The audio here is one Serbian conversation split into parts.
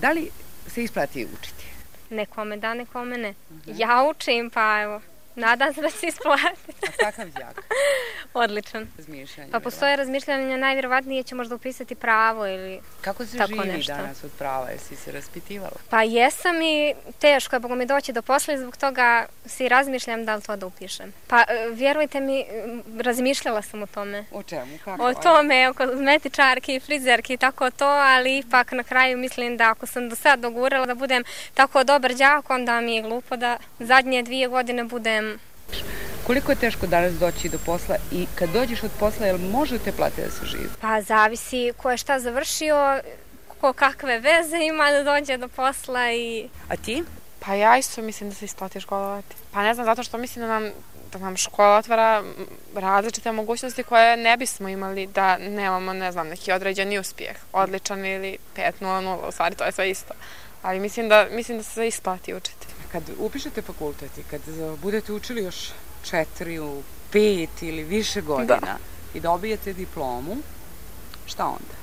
Da li se isplati učiti? Nekome da, nekome ne. Ja učim, pa evo, nadam se da će se isplatiti. A kakav đak? Odličan. Razmišljanje. Pa postoje razmišljanja, najvjerovatnije će možda upisati pravo ili kako se tako živi nešto. danas od prava? Jesi se raspitivala? Pa jesam i teško je, Boga mi doći do posla i zbog toga si razmišljam da li to da upišem. Pa vjerujte mi, razmišljala sam o tome. O čemu? Kako? O tome, o kozmetičarki, frizerki i tako to, ali ipak na kraju mislim da ako sam do sad dogurala da budem tako dobar đak, onda mi je glupo da zadnje 2 godine budem. Koliko je teško danas doći do posla i kad dođeš od posla, jel možete platiti da se živi? Pa zavisi ko je šta završio, ko kakve veze ima da dođe do posla i... A ti? Pa ja isto mislim da se isplati školovati. Pa ne znam, zato što mislim da nam škola otvara različite mogućnosti koje ne bismo imali da nemamo, ne znam, neki određeni uspjeh, odličan ili 5.00, u stvari to je sve isto. Ali mislim da se isplati učiti. Kad upišete fakultet i kad budete učili još 4, 5 ili više godina i dobijete diplomu, šta onda?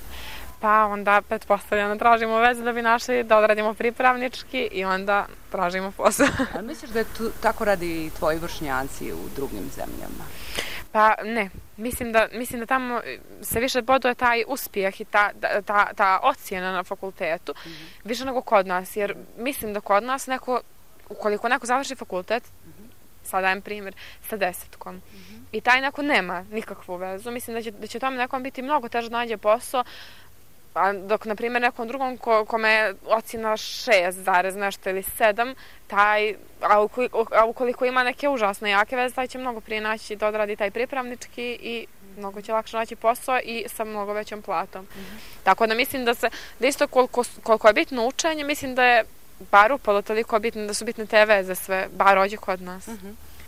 Pa onda pretpostavljamo tražimo vezu da bi našli da odradimo pripravnički i onda tražimo posao. Ali misliš da je tako radi i tvoji vršnjaci u drugim zemljama? Pa ne, mislim da tamo se više boduje taj uspjeh i ta ocjena na fakultetu više nego kod nas, jer mislim da kod nas ukoliko neko završi fakultet, sad dajem primjer, sa 10-kom, i taj neko nema nikakvu vezu, mislim da će tome nekom biti mnogo teže da nađe posao, dok, na primjer, nekom drugom kome je ocjena 6, nešto ili 7, a ukoliko ima neke užasne jake veze, taj će mnogo prije naći da odradi taj pripravnički i mnogo će lakše naći posao i sa mnogo većom platom. Tako da mislim da isto koliko je bitno učenje, mislim da je bar upalo toliko bitno, da su bitne te veze sve, bar ovdje kod nas.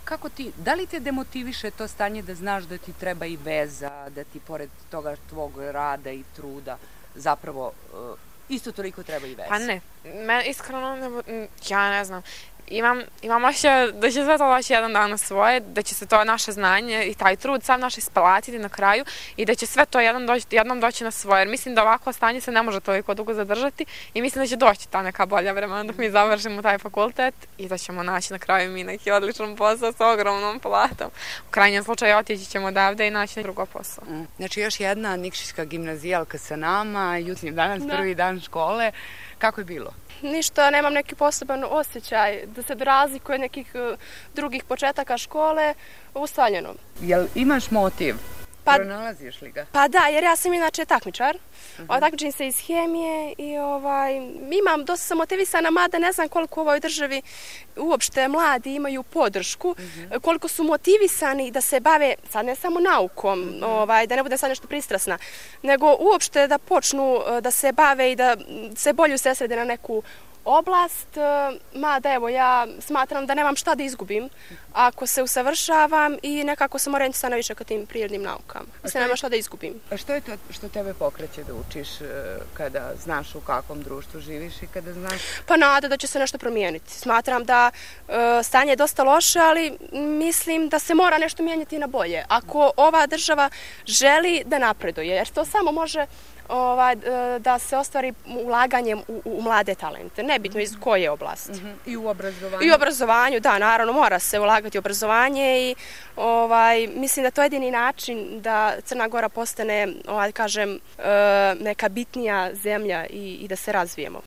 Kako ti, da li te demotiviše to stanje da znaš da ti treba i veza, da ti pored toga tvog rada i truda zapravo isto toliko treba i veza? Pa ne, iskreno, ja ne znam. Imam osjećaj da će sve to doći jedan dan na svoje, da će se to naše znanje i taj trud sam naš isplatiti na kraju i da će sve to jednom doći na svoje. Jer mislim da ovako stanje se ne može toliko dugo zadržati i mislim da će doći ta neka bolja vremena dok mi završimo taj fakultet i da ćemo naći na kraju mi neki odličan posao sa ogromnom platom. U krajnjem slučaju otići ćemo odavde i naći drugo posao. Znači još jedna nikšićka gimnazijalka sa nama, jutnji danas, prvi dan škole. Kako je bilo? Ništa, nemam neki poseban osjećaj da se razlikuje od nekih drugih početaka škole, ustaljeno. Jel imaš motiv? Pronalaziš li ga? Pa da, jer ja sam inače takmičar. Takmičim se iz hemije i dosta sam motivisana, mada ne znam koliko u ovoj državi uopšte mladi imaju podršku, koliko su motivisani da se bave, sad ne samo naukom, da ne budem sad nešto pristrasna, nego uopšte da počnu da se bave i da se bolje usredsrede na neku oblast, mada evo ja smatram da nemam šta da izgubim ako se usavršavam i nekako sam orijentisana više ka tim prirodnim naukama. Mislim, nemam šta da izgubim. A što je to što tebe pokreće da učiš kada znaš u kakvom društvu živiš i kada znaš? Pa nada da će se nešto promijeniti. Smatram da stanje je dosta loše, ali mislim da se mora nešto mijenjati na bolje. Ako ova država želi da napreduje, jer to samo može da se ostvari ulaganjem u mlade talente, nebitno iz koje oblasti. I u obrazovanju? I u obrazovanju, da, naravno, mora se ulagati u obrazovanje i mislim da to je jedini način da Crna Gora postane, kažem, neka bitnija zemlja i da se razvijemo.